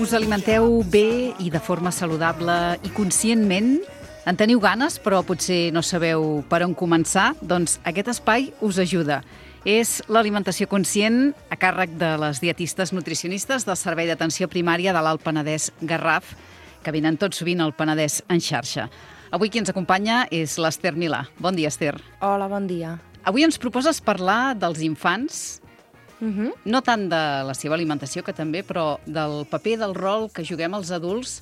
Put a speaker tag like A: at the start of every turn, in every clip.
A: Us alimenteu bé i de forma saludable i conscientment? En teniu ganes, però potser no sabeu per on començar? Doncs aquest espai us ajuda. És l'alimentació conscient a càrrec de les dietistes nutricionistes del Servei d'Atenció Primària de l'Alt Penedès Garraf, que venen tot sovint al Penedès en xarxa. Avui qui ens acompanya és l'Ester Milà. Bon dia, Ester.
B: Hola, bon dia.
A: Avui ens proposes parlar dels infants, no tant de la seva alimentació, que també, però del paper, del rol que juguem els adults,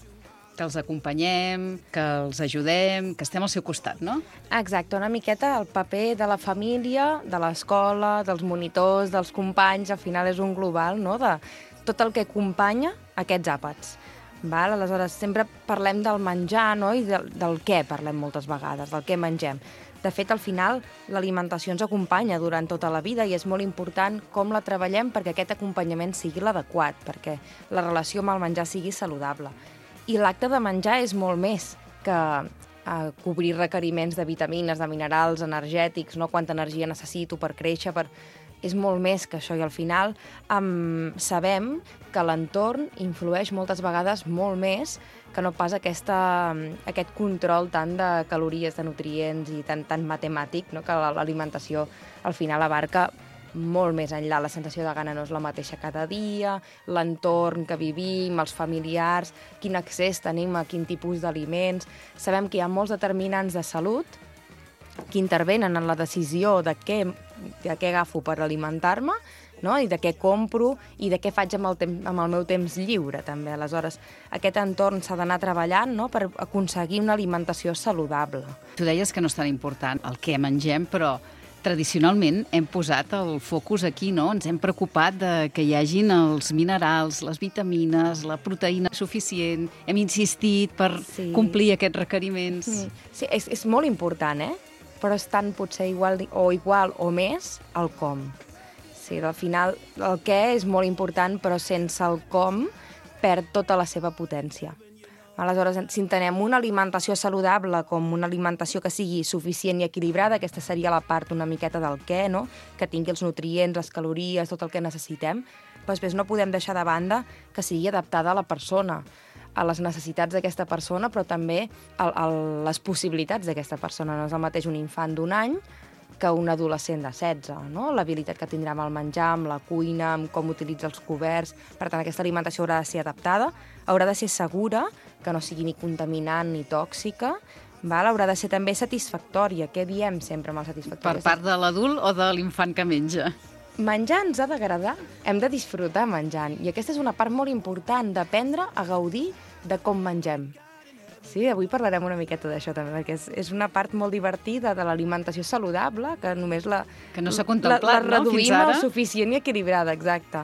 A: que els acompanyem, que els ajudem, que estem al seu costat, no?
B: Exacte, una miqueta el paper de la família, de l'escola, dels monitors, dels companys, al final és un global, no?, de tot el que acompanya aquests àpats. Val? Aleshores, sempre parlem del menjar, no?, i del què parlem moltes vegades, del què mengem. De fet, al final, l'alimentació ens acompanya durant tota la vida i és molt important com la treballem perquè aquest acompanyament sigui l'adequat, perquè la relació amb el menjar sigui saludable. I l'acte de menjar és molt més que cobrir requeriments de vitamines, de minerals, energètics, no? Quanta energia necessito per créixer, és molt més que això, i al final sabem que l'entorn influeix moltes vegades molt més que no pas aquest control tant de calories, de nutrients i tan matemàtic, no? Que l'alimentació al final abarca molt més enllà. La sensació de gana no és la mateixa cada dia, l'entorn que vivim, els familiars, quin accés tenim a quin tipus d'aliments. Sabem que hi ha molts determinants de salut que intervenen en la decisió de què agafo per alimentar-me, no? I de què compro i de què faig amb el meu temps lliure, també. Aleshores, aquest entorn s'ha d'anar treballant, no?, per aconseguir una alimentació saludable.
A: Tu deies que no és tan important el què mengem, però tradicionalment hem posat el focus aquí, no? Ens hem preocupat de que hi hagin els minerals, les vitamines, la proteïna suficient. Hem insistit per complir aquests requeriments.
B: Sí, és molt important, però és tant potser igual o més el com. Sí, al final el què és molt important, però sense el com perd tota la seva potència. Aleshores, si entenem una alimentació saludable com una alimentació que sigui suficient i equilibrada, aquesta seria la part una miqueta del què, no?, que tingui els nutrients, les calories, tot el que necessitem, però després no podem deixar de banda que sigui adaptada a la persona, a les necessitats d'aquesta persona, però també a les possibilitats d'aquesta persona. No és el mateix un infant d'1 any que un adolescent de 16, no? L'habilitat que tindrà amb el menjar, amb la cuina, amb com utilitza els coberts. Per tant, aquesta alimentació haurà de ser adaptada, haurà de ser segura, que no sigui ni contaminant ni tòxica, haurà de ser també satisfactòria. Què diem sempre amb el satisfactori?
A: Per part de l'adult o de l'infant que menja?
B: Menjar ens ha d'agradar, hem de disfrutar menjant, i aquesta és una part molt important, d'aprendre a gaudir de com mengem. Sí, avui parlarem una miqueta d'això també, perquè és una part molt divertida de l'alimentació saludable, que només
A: que no s'ha contemplat,
B: la reduïm al suficient i equilibrada, exacte.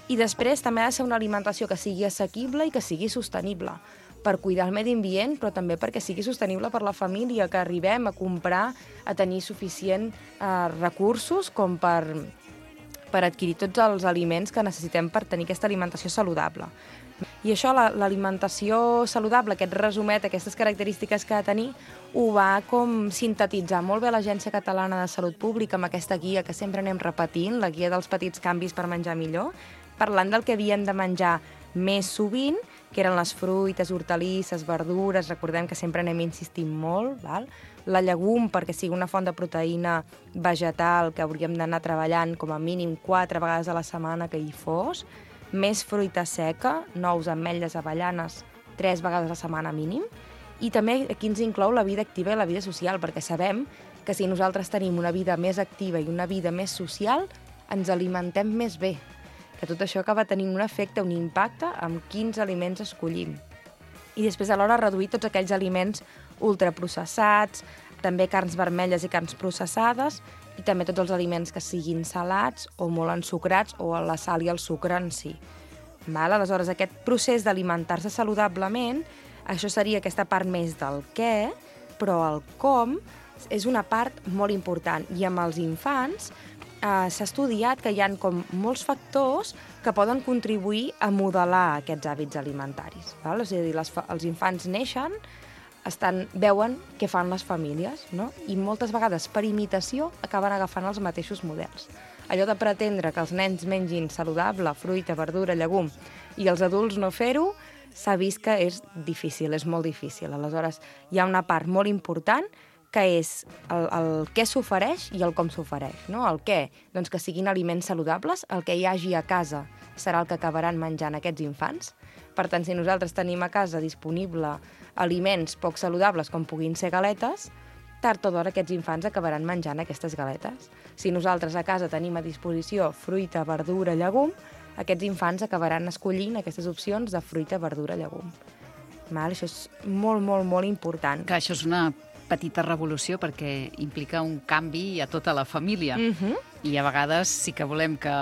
B: I després també ha de ser una alimentació que sigui assequible i que sigui sostenible, per cuidar el medi ambient, però també perquè sigui sostenible per la família, que arribem a comprar, a tenir suficient recursos com per adquirir tots els aliments que necessitem per tenir aquesta alimentació saludable. I això, l'alimentació saludable, aquest resumet, aquestes característiques que ha de tenir, ho va com sintetitzar molt bé l'Agència Catalana de Salut Pública amb aquesta guia que sempre anem repetint, la guia dels petits canvis per menjar millor, parlant del que havíem de menjar més sovint, que eren les fruites, hortalisses, verdures, recordem que sempre anem insistint molt, val? La llegum, perquè sigui una font de proteïna vegetal que hauríem d'anar treballant com a mínim 4 vegades a la setmana que hi fos, més fruita seca, nous, ametlles, avellanes, 3 vegades a la setmana mínim, i també aquí ens inclou la vida activa i la vida social, perquè sabem que si nosaltres tenim una vida més activa i una vida més social, ens alimentem més bé, que tot això acaba tenint un efecte, un impacte amb quins aliments escollim. I després alhora reduir tots aquells aliments ultraprocessats, també carns vermelles i carns processades, i també tots els aliments que siguin salats o molt ensucrats, o la sal i el sucre en si. Aleshores, aquest procés d'alimentar-se saludablement, això seria aquesta part més del què, però el com és una part molt important. I amb els infants s'ha estudiat que hi ha com molts factors que poden contribuir a modelar aquests hàbits alimentaris. És a dir, els infants neixen veuen què fan les famílies, no? I moltes vegades, per imitació, acaben agafant els mateixos models. Allò de pretendre que els nens mengin saludable, fruita, verdura, llegum, i els adults no fer-ho, s'ha vist que és difícil, és molt difícil. Aleshores, hi ha una part molt important que és el què s'ofereix i el com s'ofereix. No? El què? Doncs que siguin aliments saludables, el que hi hagi a casa serà el que acabaran menjant aquests infants. Per tant, si nosaltres tenim a casa disponible aliments poc saludables com puguin ser galetes, tard o d'hora aquests infants acabaran menjant aquestes galetes. Si nosaltres a casa tenim a disposició fruita, verdura, llegum, aquests infants acabaran escollint aquestes opcions de fruita, verdura, llegum. Això és molt, molt, molt important.
A: Que això és una petita revolució perquè implica un canvi a tota la família. I a vegades sí que volem que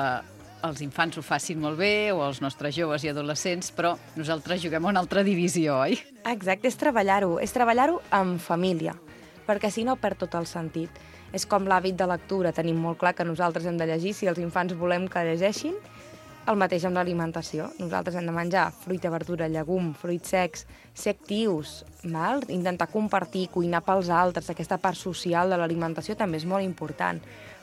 A: els infants ho facin molt bé, o els nostres joves i adolescents, però nosaltres juguem a una altra divisió, oi?
B: Exacte, és treballar-ho en família, perquè si no perd tot el sentit. És com l'hàbit de lectura, tenim molt clar que nosaltres hem de llegir, si els infants volem que llegeixin, el mateix amb l'alimentació. Nosaltres hem de menjar fruita, verdura, llegum, fruits secs, ser actius, intentar compartir, cuinar pels altres, aquesta part social de l'alimentació també és molt important.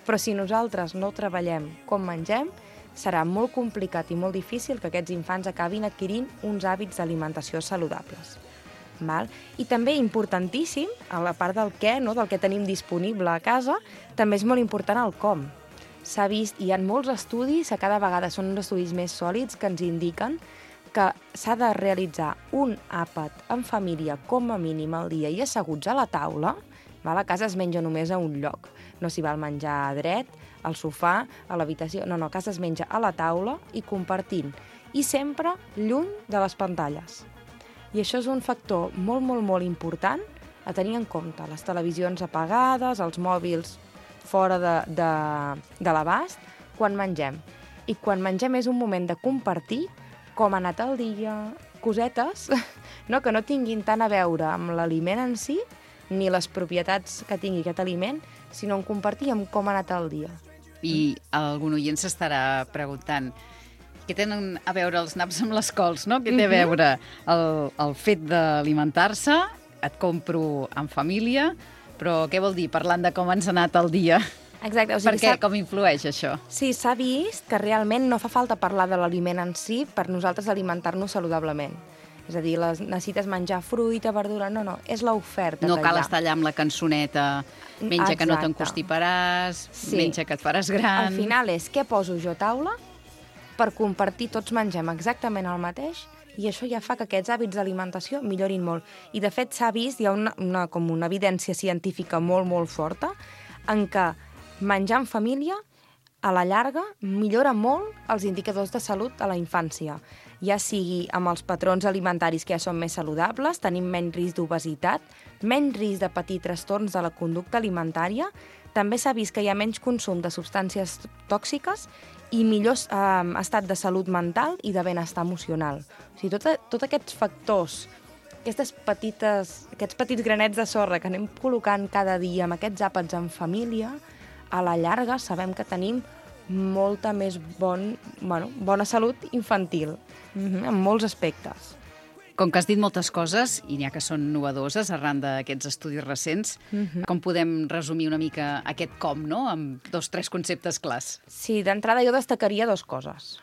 B: Però si nosaltres no treballem com mengem, serà molt complicat i molt difícil que aquests infants acabin adquirint uns hàbits d'alimentació saludables. I també importantíssim, a la part del què, del que tenim disponible a casa, també és molt important el com. S'ha vist, hi ha molts estudis, a cada vegada són uns estudis més sòlids, que ens indiquen que s'ha de realitzar un àpat en família com a mínim al dia i asseguts a la taula. A casa es menja només a un lloc, no s'hi val menjar dret, al sofà, a l'habitació, no, a casa es menja a la taula i compartint, i sempre lluny de les pantalles. I això és un factor molt, molt, molt important a tenir en compte. Les televisions apagades, els mòbils fora de l'abast, quan mengem. I quan mengem és un moment de compartir com ha anat el dia, cosetes que no tinguin tant a veure amb l'aliment en si, ni les propietats que tingui aquest aliment, sinó en compartir amb com ha anat el dia.
A: I algun oient s'estarà preguntant què tenen a veure els naps amb les cols, no? Què té a veure el fet d'alimentar-se? Et compro en família, però què vol dir parlant de com ens ha anat el dia?
B: Exacte.
A: Per què? Com influeix això?
B: Sí, s'ha vist que realment no fa falta parlar de l'aliment en si per nosaltres alimentar-nos saludablement. És a dir, necessites menjar fruita, verdura... No, és l'oferta que hi ha.
A: No cal estar allà amb la cançoneta, menja que no t'encostiparàs, menja que et faràs gran...
B: Al final és què poso jo a taula per compartir, tots mengem exactament el mateix, i això ja fa que aquests hàbits d'alimentació millorin molt. I, de fet, s'ha vist, hi ha com una evidència científica molt, molt forta, en què menjar en família, a la llarga, millora molt els indicadors de salut a la infància. Ja sigui amb els patrons alimentaris que ja són més saludables, tenim menys risc d'obesitat, menys risc de patir trastorns de la conducta alimentària, també s'ha vist que hi ha menys consum de substàncies tòxiques i millor estat de salut mental i de benestar emocional. O sigui, tots aquests factors, aquests petits granets de sorra que anem col·locant cada dia amb aquests àpats en família, a la llarga sabem que tenim molta més bona salut infantil, en molts aspectes.
A: Com que has dit moltes coses, i n'hi ha que són innovadores arran d'aquests estudis recents, com podem resumir una mica aquest com, amb 2 o 3 conceptes clars?
B: Sí, d'entrada jo destacaria 2 coses.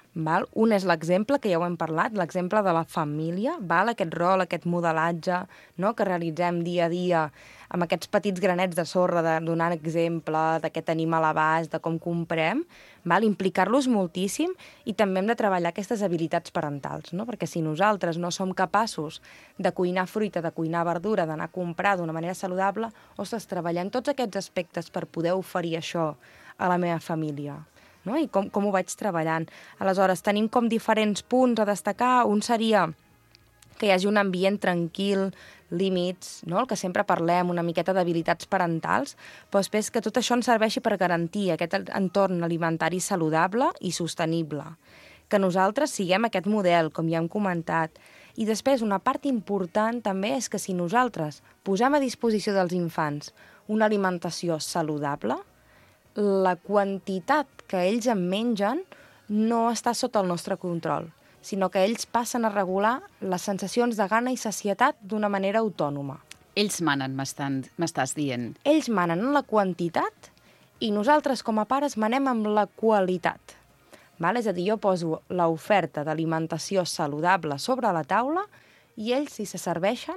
B: Un és l'exemple, que ja ho hem parlat, l'exemple de la família, aquest rol, aquest modelatge que realitzem dia a dia amb aquests petits granets de sorra, de donar exemple de què tenim a l'abast, de com comprem, implicar-los moltíssim, i també hem de treballar aquestes habilitats parentals, perquè si nosaltres no som capaços de cuinar fruita, de cuinar verdura, d'anar a comprar d'una manera saludable, treballem tots aquests aspectes per poder oferir això a la meva família. I com ho vaig treballant. Aleshores, tenim com diferents punts a destacar. Un seria que hi hagi un ambient tranquil, límits, el que sempre parlem, una miqueta d'habilitats parentals, però després que tot això ens serveixi per garantir aquest entorn alimentari saludable i sostenible. Que nosaltres siguem aquest model, com ja hem comentat. I després, una part important també és que si nosaltres posem a disposició dels infants una alimentació saludable, la quantitat que ells en mengen no està sota el nostre control, sinó que ells passen a regular les sensacions de gana i sacietat d'una manera autònoma.
A: Ells manen, m'estàs dient.
B: Ells manen en la quantitat i nosaltres com a pares manem amb la qualitat. Val? És a dir, jo poso l'oferta d'alimentació saludable sobre la taula i ells, si se serveixen,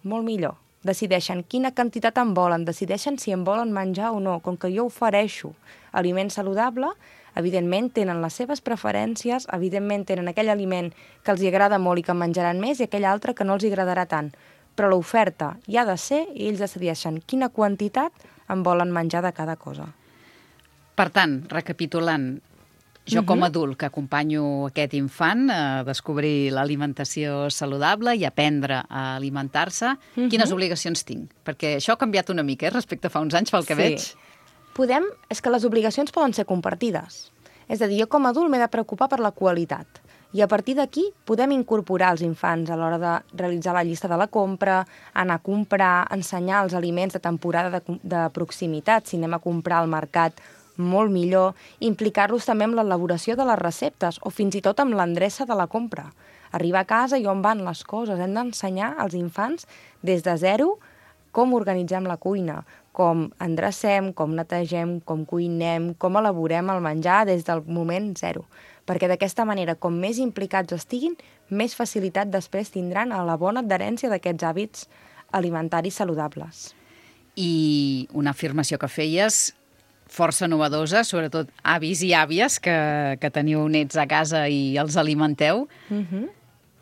B: molt millor. Decideixen quina quantitat en volen, decideixen si en volen menjar o no. Com que jo ofereixo aliment saludable, evidentment tenen les seves preferències, evidentment tenen aquell aliment que els agrada molt i que menjaran més i aquell altre que no els agradarà tant. Però l'oferta hi ha de ser i ells decideixen quina quantitat en volen menjar de cada cosa.
A: Per tant, recapitulant, jo com a adult que acompanyo aquest infant a descobrir l'alimentació saludable i aprendre a alimentar-se, quines obligacions tinc? Perquè això ha canviat una mica respecte a fa uns anys, pel que veig.
B: És que les obligacions poden ser compartides. És a dir, jo com a adult m'he de preocupar per la qualitat. I a partir d'aquí podem incorporar els infants a l'hora de realitzar la llista de la compra, anar a comprar, ensenyar els aliments de temporada de proximitat, si anem a comprar al mercat molt millor, implicar-los també amb l'elaboració de les receptes o fins i tot amb l'endreça de la compra. Arribar a casa i on van les coses. Hem d'ensenyar als infants des de zero com organitzem la cuina, com endrecem, com netegem, com cuinem, com elaborem el menjar des del moment zero. Perquè d'aquesta manera, com més implicats estiguin, més facilitat després tindran a la bona adherència d'aquests hàbits alimentaris saludables.
A: I una afirmació que feies força novedosa, sobretot avis i àvies que teniu nets a casa i els alimenteu,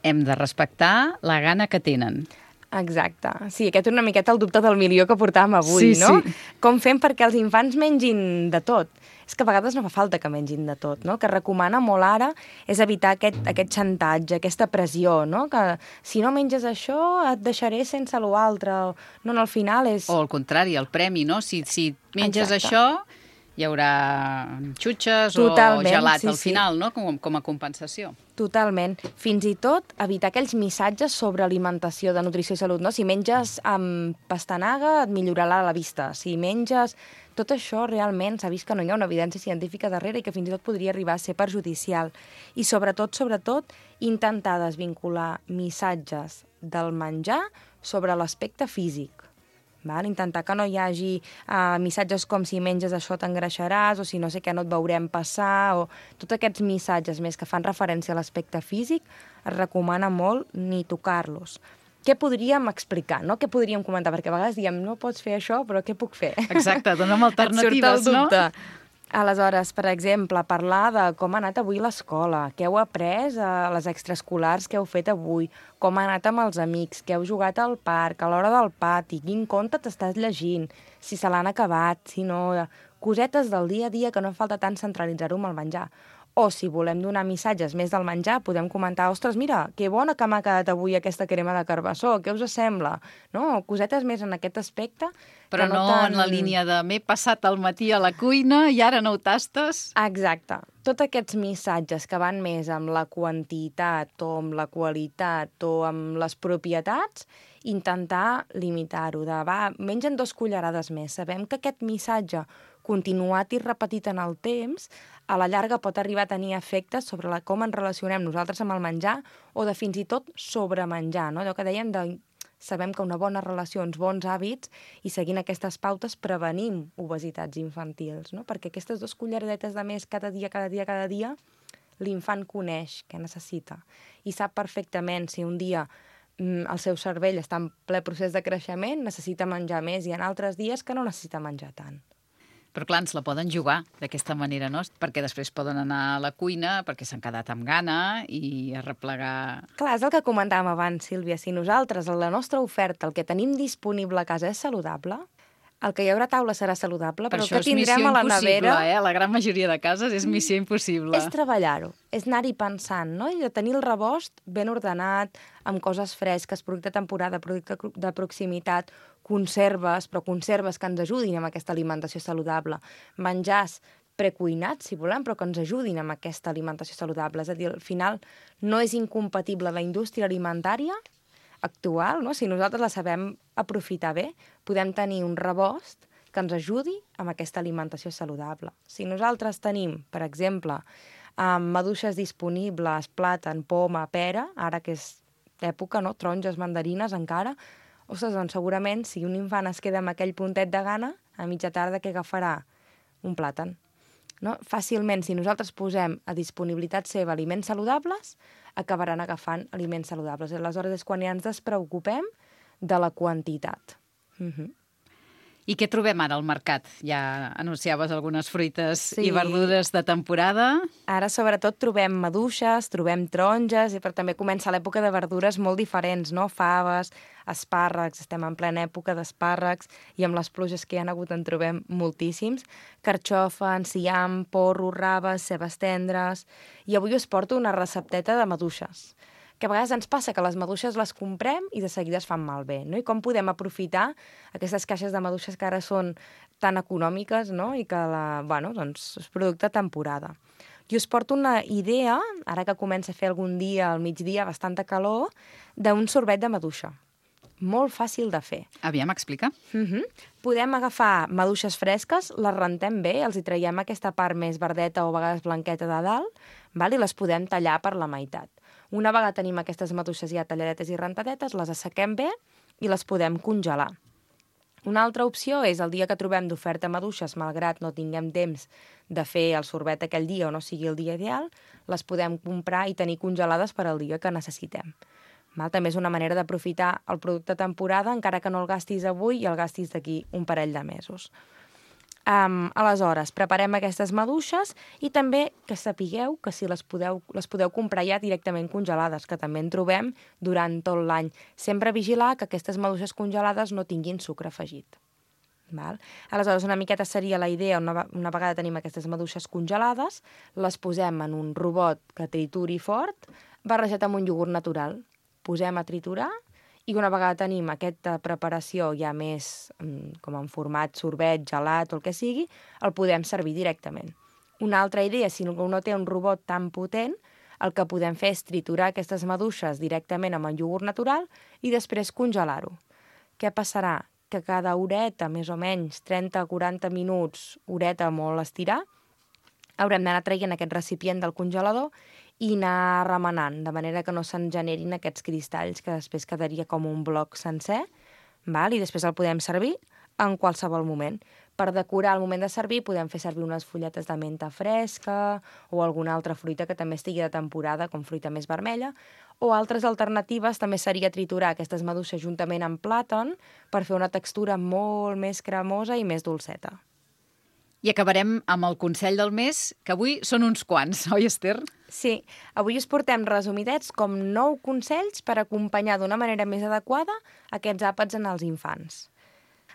A: hem de respectar la gana que tenen.
B: Exacte. Sí, aquest és una miqueta el dubte del milió que portàvem avui, no?
A: Sí.
B: Com fem perquè els infants mengin de tot? És que a vegades no fa falta que mengin de tot, no? Que recomana molt ara és evitar aquest xantatge, aquesta pressió, no? Que si no menges això et deixaré sense l'altre. No, al final és...
A: O al contrari, el premi, no? Si menges això, hi haurà xutxes o gelat al final, no? Com a compensació.
B: Totalment. Fins i tot evitar aquells missatges sobre alimentació, de nutrició i salut, no? Si menges amb pastanaga et millorarà la vista. Si menges... Tot això realment s'ha vist que no hi ha una evidència científica darrere i que fins i tot podria arribar a ser perjudicial. I sobretot, intentar desvincular missatges del menjar sobre l'aspecte físic. Val? Intentar que no hi hagi missatges com si menges això t'engreixaràs o si no sé què no et veurem passar o tots aquests missatges més que fan referència a l'aspecte físic es recomana molt ni tocar-los. Què podríem explicar, no? Què podríem comentar? Perquè a vegades diem, no pots fer això, però què puc fer?
A: Exacte, dona'm alternatives,
B: et surt el dubte. Aleshores, per exemple, parlar de com ha anat avui l'escola, què heu après a les extraescolars que heu fet avui, com ha anat amb els amics, què heu jugat al parc, a l'hora del pati, quin conte t'estàs llegint, si se l'han acabat, si no... Cosetes del dia a dia que no falta tant centralitzar-ho amb el menjar. O si volem donar missatges més del menjar, podem comentar, ostres, mira, que bona que m'ha quedat avui aquesta crema de carbassó, què us sembla? No? Cosetes més en aquest aspecte.
A: Però no en la línia de m'he passat el matí a la cuina i ara no ho tastes.
B: Exacte. Tots aquests missatges que van més amb la quantitat o amb la qualitat o amb les propietats, intentar limitar-ho. Mengen 2 cullerades més. Sabem que aquest missatge continuat i repetit en el temps, a la llarga pot arribar a tenir efectes sobre com ens relacionem nosaltres amb el menjar o de fins i tot sobremenjar, no? Allò que dèiem sabem que una bona relació, uns bons hàbits i seguint aquestes pautes prevenim obesitats infantils, no? Perquè aquestes 2 culleradetes de més cada dia, l'infant coneix què necessita i sap perfectament si un dia el seu cervell està en ple procés de creixement, necessita menjar més i en altres dies que no necessita menjar tant.
A: Però clar, ens la poden jugar d'aquesta manera, no? Perquè després poden anar a la cuina perquè s'han quedat amb gana i a replegar...
B: Clar, és el que comentàvem abans, Sílvia. Si nosaltres, la nostra oferta, el que tenim disponible a casa és saludable, el que hi haurà a taula serà saludable, però el que tindrem a la nevera...
A: A la gran majoria de cases és missió impossible.
B: És treballar-ho, és anar-hi pensant, no? I de tenir el rebost ben ordenat, amb coses fresques, producte de temporada, producte de proximitat, conserves, però conserves que ens ajudin amb aquesta alimentació saludable. Menjars precuinats, si volem, però que ens ajudin amb aquesta alimentació saludable. És a dir, al final no és incompatible la indústria alimentària actual, no? Si nosaltres la sabem aprofitar bé, podem tenir un rebost que ens ajudi amb aquesta alimentació saludable. Si nosaltres tenim, per exemple, maduixes disponibles, plàtan, poma, pera, ara que és època, no? Taronges, mandarines encara, Ostres, doncs segurament si un infant es queda amb aquell puntet de gana, a mitja tarda què agafarà? Un plàtan. No? Fàcilment, si nosaltres posem a disponibilitat seva aliments saludables, acabaran agafant aliments saludables. Aleshores és quan ja ens despreocupem de la quantitat.
A: I què trobem ara al mercat? Ja anunciaves algunes fruites
B: Sí.
A: i verdures de temporada.
B: Ara, sobretot, trobem maduixes, trobem taronges, però també comença l'època de verdures molt diferents, no? Faves, espàrrecs, estem en plena època d'espàrrecs, i amb les pluges que hi ha hagut en trobem moltíssims. Carxofa, enciam, porro, raves, cebes tendres... I avui us porto una recepteta de maduixes, que a vegades ens passa que les maduixes les comprem i de seguida es fan malbé, no? I com podem aprofitar aquestes caixes de maduixes que ara són tan econòmiques, no? I que doncs, és producte de temporada. I us porto una idea, ara que comença a fer algun dia al migdia bastanta calor, d'un sorbet de maduixa. Molt fàcil de fer.
A: Aviam, explica.
B: Podem agafar maduixes fresques, les rentem bé, els hi traiem aquesta part més verdeta o a vegades blanqueta de dalt, i les podem tallar per la meitat. Una vegada tenim aquestes maduixes ja talladetes i rentadetes, les assequem bé i les podem congelar. Una altra opció és el dia que trobem d'oferta maduixes, malgrat no tinguem temps de fer el sorbet aquell dia o no sigui el dia ideal, les podem comprar i tenir congelades per al dia que necessitem. També és una manera d'aprofitar el producte de temporada, encara que no el gastis avui i el gastis d'aquí un parell de mesos. Aleshores, preparem aquestes maduixes i també que sapigueu que si les podeu comprar ja directament congelades, que també en trobem durant tot l'any. Sempre vigilar que aquestes maduixes congelades no tinguin sucre afegit. Aleshores, una miqueta seria la idea, una vegada tenim aquestes maduixes congelades, les posem en un robot que trituri fort, barrejat amb un iogurt natural. Posem a triturar i una vegada tenim aquesta preparació ja més com en format sorbet, gelat o el que sigui, el podem servir directament. Una altra idea, si no té un robot tan potent, el que podem fer és triturar aquestes maduixes directament amb el iogurt natural i després congelar-ho. Què passarà? Que cada horeta, més o menys, 30-40 minuts, horeta molt estirar, haurem d'anar traient aquest recipient del congelador i anar remenant, de manera que no se'n generin aquests cristalls, que després quedaria com un bloc sencer, i després el podem servir en qualsevol moment. Per decorar al moment de servir podem fer servir unes fulletes de menta fresca o alguna altra fruita que també estigui de temporada, com fruita més vermella, o altres alternatives també seria triturar aquestes maduixes juntament amb plàtan per fer una textura molt més cremosa i més dolceta.
A: I acabarem amb el consell del mes, que avui són uns quants, oi, Esther?
B: Sí, avui us portem resumidets com 9 consells per acompanyar d'una manera més adequada aquests àpats en els infants.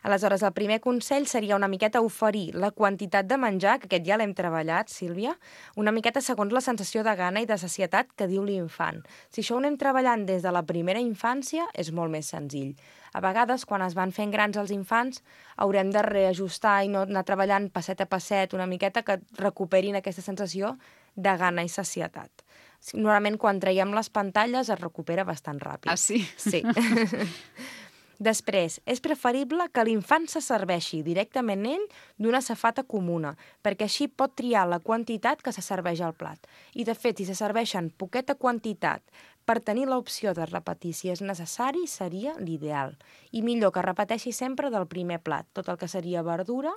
B: Aleshores, el primer consell seria una miqueta oferir la quantitat de menjar, que aquest ja l'hem treballat, Sílvia, una miqueta segons la sensació de gana i de sacietat que diu l'infant. Si això ho anem treballant des de la primera infància, és molt més senzill. A vegades, quan es van fent grans els infants, haurem de reajustar i no anar treballant passet a passet, una miqueta que recuperin aquesta sensació de gana i sacietat. Normalment, quan traiem les pantalles, es recupera bastant ràpid.
A: Ah, sí?
B: Sí. Després, és preferible que l'infant se serveixi directament ell d'una safata comuna, perquè així pot triar la quantitat que se serveix al plat. I, de fet, si se serveixen poqueta quantitat per tenir l'opció de repetir si és necessari, seria l'ideal. I millor que repeteixi sempre del primer plat. Tot el que seria verdura,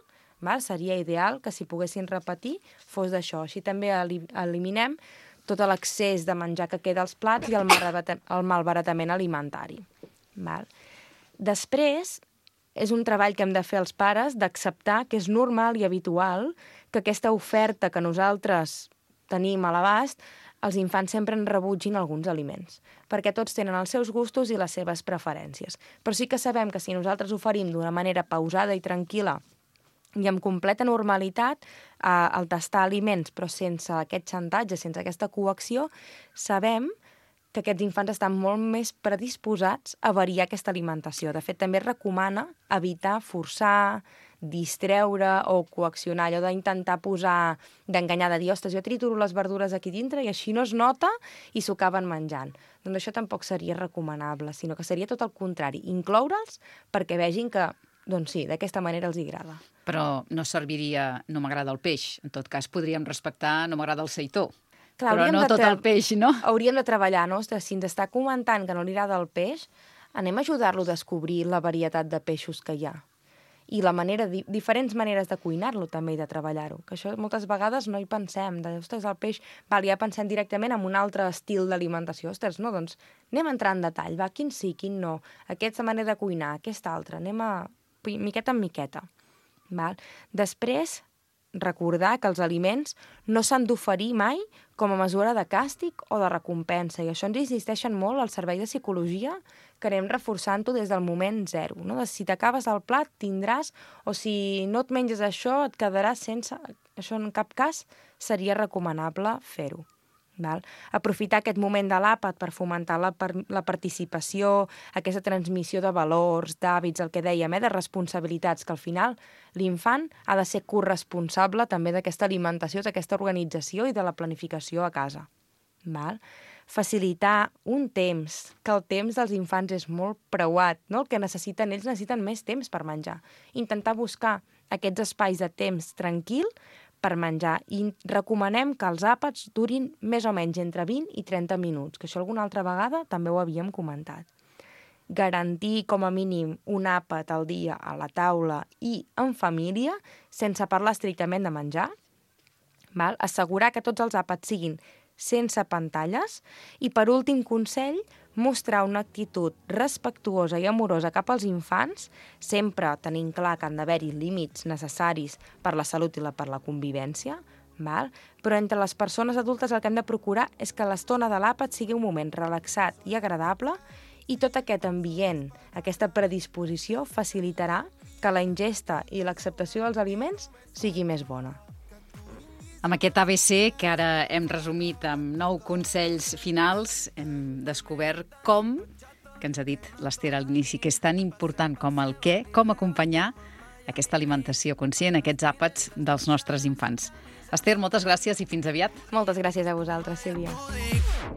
B: seria ideal que si poguessin repetir fos d'això. Així també eliminem tot l'excés de menjar que queda als plats i el malbaratament alimentari. Després, és un treball que hem de fer els pares d'acceptar que és normal i habitual que aquesta oferta que nosaltres tenim a l'abast, els infants sempre en rebutgin alguns aliments, perquè tots tenen els seus gustos i les seves preferències. Però sí que sabem que si nosaltres oferim d'una manera pausada i tranquil·la i amb completa normalitat el tastar aliments, però sense aquest xantatge, sense aquesta coacció, sabem que aquests infants estan molt més predisposats a variar aquesta alimentació. De fet, també es recomana evitar forçar, distreure o coaccionar, allò d'intentar d'enganyar, de dir, ostres, jo trituro les verdures aquí dintre i així no es nota i s'ho acaben menjant. Doncs això tampoc seria recomanable, sinó que seria tot el contrari, incloure'ls perquè vegin que, doncs sí, d'aquesta manera els agrada.
A: Però no serviria no m'agrada el peix. En tot cas, podríem respectar no m'agrada el seitó.
B: Clar,
A: però no tot el peix, no?
B: Hauríem de treballar, no? Ostres, si ens està comentant que no li agrada el peix, anem a ajudar-lo a descobrir la varietat de peixos que hi ha. I diferents maneres de cuinar-lo també i de treballar-ho, que això moltes vegades no hi pensem, ostres, el peix, ja pensem directament en un altre estil d'alimentació, ostres, no, doncs anem a entrar en detall, quin sí, quin no, aquesta manera de cuinar, aquesta altra, anem a miqueta en miqueta. Després, recordar que els aliments no s'han d'oferir mai com a mesura de càstig o de recompensa, i això ens insisteixen molt al servei de psicologia, que anem reforçant-ho des del moment zero. No? Si t'acabes el plat, tindràs, o si no et menges això, et quedaràs sense. Això en cap cas seria recomanable fer-ho. Aprofitar aquest moment de l'àpat per fomentar la participació, aquesta transmissió de valors, d'hàbits, el que dèiem, de responsabilitats, que al final l'infant ha de ser corresponsable també d'aquesta alimentació, d'aquesta organització i de la planificació a casa. Facilitar un temps, que el temps dels infants és molt preuat, no? El que necessiten, ells necessiten més temps per menjar. Intentar buscar aquests espais de temps tranquil per menjar, i recomanem que els àpats durin més o menys entre 20 i 30 minuts, que això alguna altra vegada també ho havíem comentat. Garantir com a mínim un àpat al dia a la taula i en família, sense parlar estrictament de menjar. Assegurar que tots els àpats siguin sense pantalles i, per últim consell, mostrar una actitud respectuosa i amorosa cap als infants, sempre tenint clar que han d'haver-hi límits necessaris per la salut i per la convivència, però entre les persones adultes el que hem de procurar és que l'estona de l'àpat sigui un moment relaxat i agradable, i tot aquest ambient, aquesta predisposició, facilitarà que la ingesta i l'acceptació dels aliments sigui més bona.
A: Amb aquest ABC, que ara hem resumit amb 9 consells finals, hem descobert com, que ens ha dit l'Ester al inici, que és tan important com el què, com acompanyar aquesta alimentació conscient, aquests àpats dels nostres infants. Ester, moltes gràcies i fins aviat.
B: Moltes gràcies a vosaltres, Sílvia.